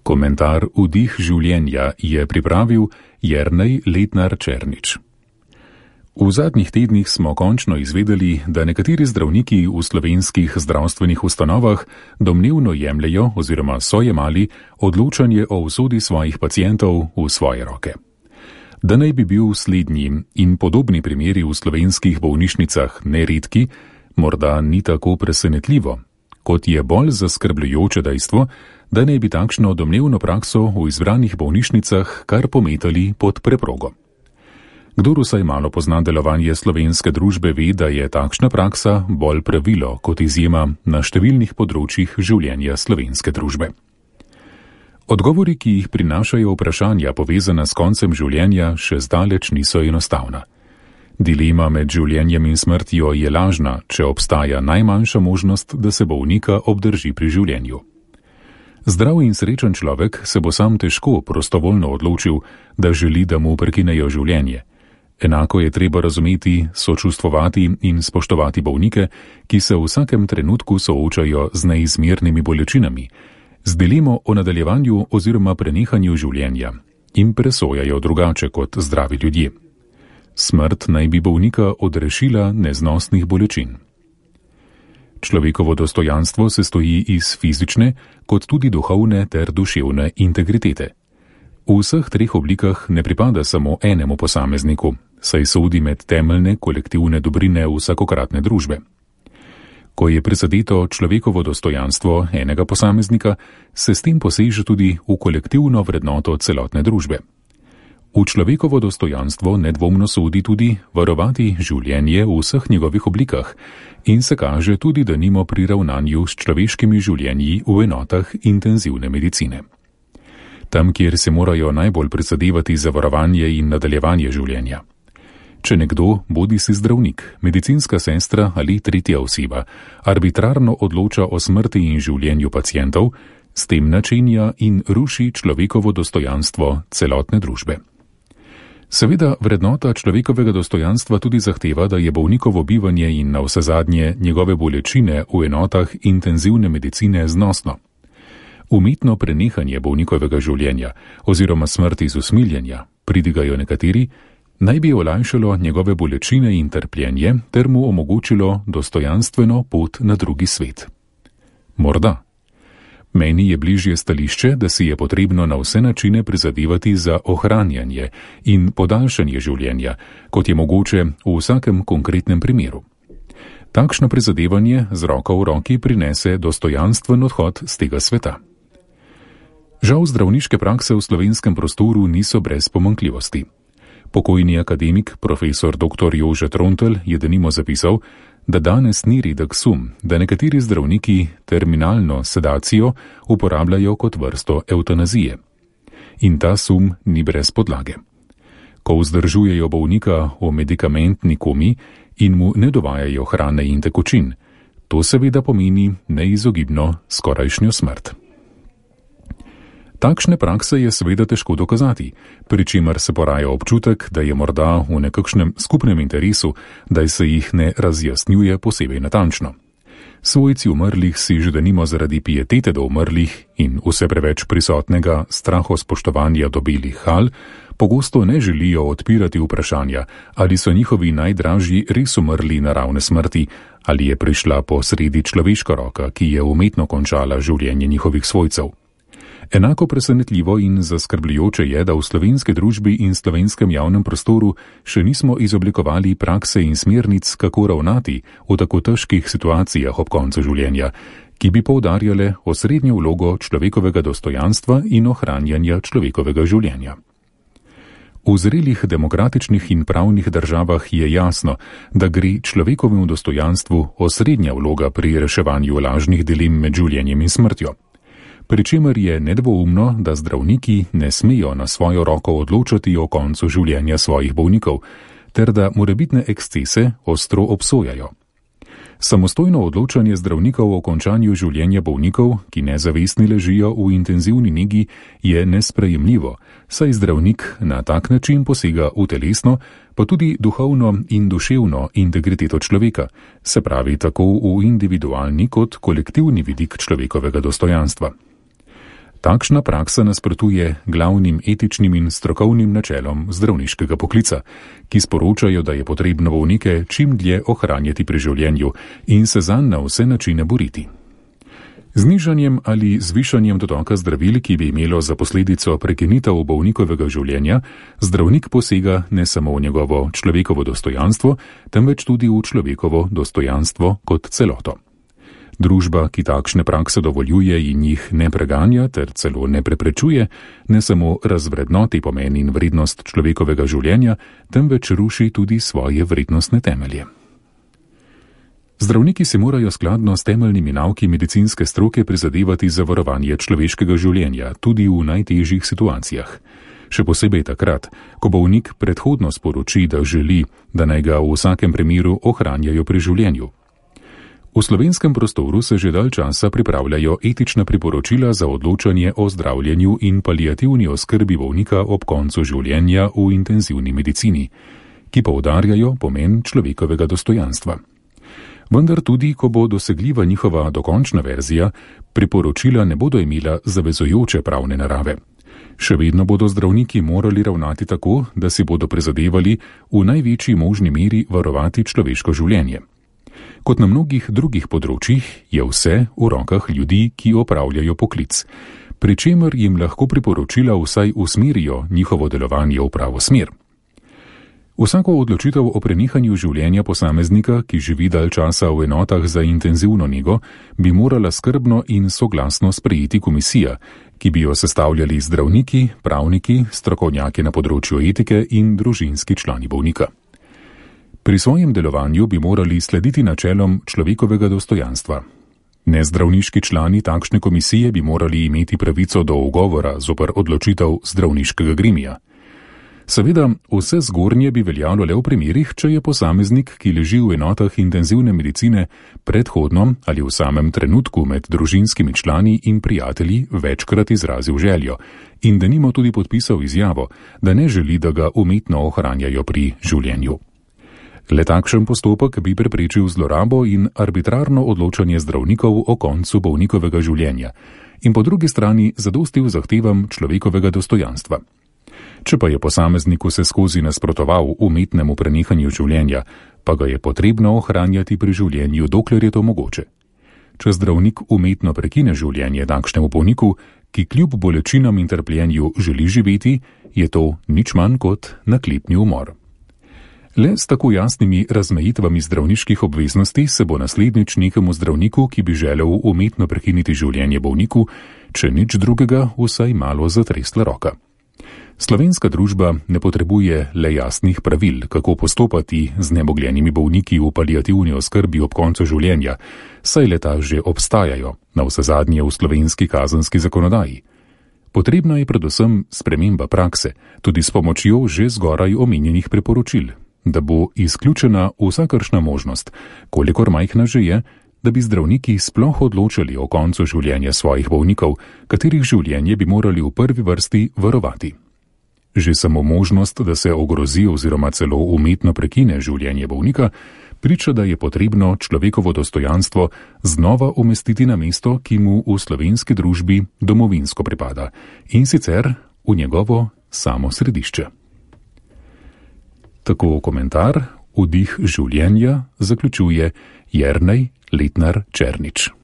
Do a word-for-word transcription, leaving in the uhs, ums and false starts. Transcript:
Komentar Vdih življenja je pripravil Jernej Letnar Černič. V zadnjih tednih smo končno izvedeli, da nekateri zdravniki v slovenskih zdravstvenih ustanovah domnevno jemljejo oziroma so jemali odločanje o usodi svojih pacientov v svoje roke. Da naj bi bil slednji in podobni primeri v slovenskih bolnišnicah neredki, morda ni tako presenetljivo, kot je bolj zaskrbljujoče dejstvo, da naj bi takšno domnevno prakso v izbranih bolnišnicah kar pometali pod preprogo. Kdor vsaj malo pozna delovanje slovenske družbe, ve, da je takšna praksa bolj pravilo kot izjema na številnih področjih življenja slovenske družbe. Odgovori, ki jih prinašajo vprašanja povezana s koncem življenja, še zdaleč niso enostavna. Dilema med življenjem in smrtjo je lažna, če obstaja najmanjša možnost, da se bolnika obdrži pri življenju. Zdrav in srečen človek se bo sam težko prostovoljno odločil, da želi, da mu prekinejo življenje. Enako je treba razumeti, sočustvovati in spoštovati bolnike, ki se v vsakem trenutku soočajo z neizmernimi bolečinami, z dilemo o nadaljevanju oziroma prenehanju življenja in presojajo drugače kot zdravi ljudje. Smrt naj bi bolnika odrešila neznosnih bolečin. Človekovo dostojanstvo se stoji iz fizične, kot tudi duhovne ter duševne integritete. V vseh treh oblikah ne pripada samo enemu posamezniku, saj sodi med temeljne kolektivne dobrine vsakokratne družbe. Ko je prizadeto človekovo dostojanstvo enega posameznika, se s tem poseže tudi v kolektivno vrednoto celotne družbe. V človekovo dostojanstvo nedvomno sodi tudi varovati življenje v vseh njegovih oblikah in se kaže tudi denimo pri ravnanju s človeškimi življenji v enotah intenzivne medicine. Tam, kjer se morajo najbolj prizadevati za varovanje in nadaljevanje življenja. Če nekdo, bodi si zdravnik, medicinska sestra ali tretja oseba, arbitrarno odloča o smrti in življenju pacientov, s tem načenja in ruši človekovo dostojanstvo celotne družbe. Seveda vrednota človekovega dostojanstva tudi zahteva, da je bolnikovo bivanje in na vsezadnje njegove bolečine v enotah intenzivne medicine znosno. Umetno prenehanje bolnikovega življenja oziroma smrti iz usmiljenja, pridigajo nekateri, naj bi olajšalo njegove bolečine in trpljenje ter mu omogočilo dostojanstveno pot na drugi svet. Morda. Meni je bližje stališče, da si je potrebno na vse načine prizadevati za ohranjanje in podaljšanje življenja, kot je mogoče v vsakem konkretnem primeru. Takšno prizadevanje z roko v roki prinese dostojanstven odhod z tega sveta. Žal zdravniške prakse v slovenskem prostoru niso brez pomanjkljivosti. Pokojni akademik, profesor doktor Jože Trontelj je denimo zapisal, da danes ni redek sum, da nekateri zdravniki terminalno sedacijo uporabljajo kot vrsto evtanazije. In ta sum ni brez podlage. Ko vzdržujejo bolnika v medikamentni komi in mu ne dovajajo hrane in tekočin, to seveda pomeni neizogibno skorajšnjo smrt. Takšne prakse je seveda težko dokazati, pri čemer se poraja občutek, da je morda v nekakšnem skupnem interesu, da se jih ne razjasnjuje posebej natančno. Svojci umrlih si že denimo zaradi pietete do umrlih in vse preveč prisotnega strahospoštovanja do belih hal, pogosto ne želijo odpirati vprašanja, ali so njihovi najdražji res umrli naravne smrti, ali je prišla po sredi človeška roka, ki je umetno končala življenje njihovih svojcev. Enako presenetljivo in zaskrbljujoče je, da v slovenski družbi in slovenskem javnem prostoru še nismo izoblikovali prakse in smernic, kako ravnati v tako težkih situacijah ob koncu življenja, ki bi poudarjale osrednjo vlogo človekovega dostojanstva in ohranjanja človekovega življenja. V zrelih demokratičnih in pravnih državah je jasno, da gre človekovemu dostojanstvu osrednja vloga pri reševanju lažnih dilem med življenjem in smrtjo. Pričemer je nedvoumno, da zdravniki ne smejo na svojo roko odločati o koncu življenja svojih bolnikov, ter da morebitne ekscese ostro obsojajo. Samostojno odločanje zdravnikov o končanju življenja bolnikov, ki nezavestni ležijo v intenzivni negi, je nesprejemljivo, saj zdravnik na tak način posega v telesno, pa tudi duhovno in duševno integriteto človeka, se pravi tako v individualni kot kolektivni vidik človekovega dostojanstva. Takšna praksa nasprotuje glavnim etičnim in strokovnim načelom zdravniškega poklica, ki sporočajo, da je potrebno bolnike čim dlje ohranjati pri življenju in se zanj na vse načine boriti. Znižanjem ali zvišanjem dotoka zdravil, ki bi imelo za posledico prekinitev bolnikovega življenja, zdravnik posega ne samo v njegovo človekovo dostojanstvo, temveč tudi v človekovo dostojanstvo kot celoto. Družba, ki takšne prakse dovoljuje in jih ne preganja ter celo ne preprečuje, ne samo razvrednoti pomen in vrednost človekovega življenja, temveč ruši tudi svoje vrednostne temelje. Zdravniki se morajo skladno s temeljnimi nauki medicinske stroke prizadevati za varovanje človeškega življenja, tudi v najtežjih situacijah. Še posebej takrat, ko bolnik predhodno sporoči, da želi, da naj ga v vsakem primeru ohranjajo pri življenju. V slovenskem prostoru se že dalj časa pripravljajo etična priporočila za odločanje o zdravljenju in paliativni oskrbi bolnika ob koncu življenja v intenzivni medicini, ki poudarjajo pomen človekovega dostojanstva. Vendar tudi, ko bo dosegljiva njihova dokončna verzija, priporočila ne bodo imela zavezujoče pravne narave. Še vedno bodo zdravniki morali ravnati tako, da si bodo prizadevali v največji možni meri varovati človeško življenje. Kot na mnogih drugih področjih je vse v rokah ljudi, ki opravljajo poklic, pri čemer jim lahko priporočila vsaj usmerijo njihovo delovanje v pravo smer. Vsako odločitev o prenehanju življenja posameznika, ki živi dalj časa v enotah za intenzivno nego, bi morala skrbno in soglasno sprejeti komisija, ki bi jo sestavljali zdravniki, pravniki, strokovnjaki na področju etike in družinski člani bolnika. Pri svojem delovanju bi morali slediti načelom človekovega dostojanstva. Nezdravniški člani takšne komisije bi morali imeti pravico do ugovora zoper odločitev zdravniškega gremija. Seveda, vse zgornje bi veljalo le v primerih, če je posameznik, ki leži v enotah intenzivne medicine, predhodno ali v samem trenutku med družinskimi člani in prijatelji večkrat izrazil željo in denimo tudi podpisal izjavo, da ne želi, da ga umetno ohranjajo pri življenju. Le takšen postopek bi preprečil zlorabo in arbitrarno odločanje zdravnikov o koncu bolnikovega življenja in po drugi strani zadostil zahtevam človekovega dostojanstva. Če pa je posameznik vse skozi nasprotoval umetnemu prenehanju življenja, pa ga je potrebno ohranjati pri življenju, dokler je to mogoče. Če zdravnik umetno prekine življenje takšnemu bolniku, ki kljub bolečinam in trpljenju želi živeti, je to nič manj kot naklepni umor. Le s tako jasnimi razmejitvami zdravniških obveznosti se bo naslednjič nekemu zdravniku, ki bi želel umetno prekiniti življenje bolniku, če nič drugega, vsaj malo zatresla roka. Slovenska družba ne potrebuje le jasnih pravil, kako postopati z nemogljenimi bolniki v paliativni oskrbi ob koncu življenja, saj leta že obstajajo, navsezadnje v slovenski kazenski zakonodaji. Potrebna je predvsem sprememba prakse, tudi s pomočjo že zgoraj omenjenih priporočil, da bo izključena vsakršna možnost, kolikor majhna že je, da bi zdravniki sploh odločali o koncu življenja svojih bolnikov, katerih življenje bi morali v prvi vrsti varovati. Že samo možnost, da se ogrozi oziroma celo umetno prekine življenje bolnika, priča, da je potrebno človekovo dostojanstvo znova umestiti na mesto, ki mu v slovenski družbi domovinsko pripada, in sicer v njegovo samo središče. Tako komentar Vdih življenja zaključuje Jernej Letnar Černič.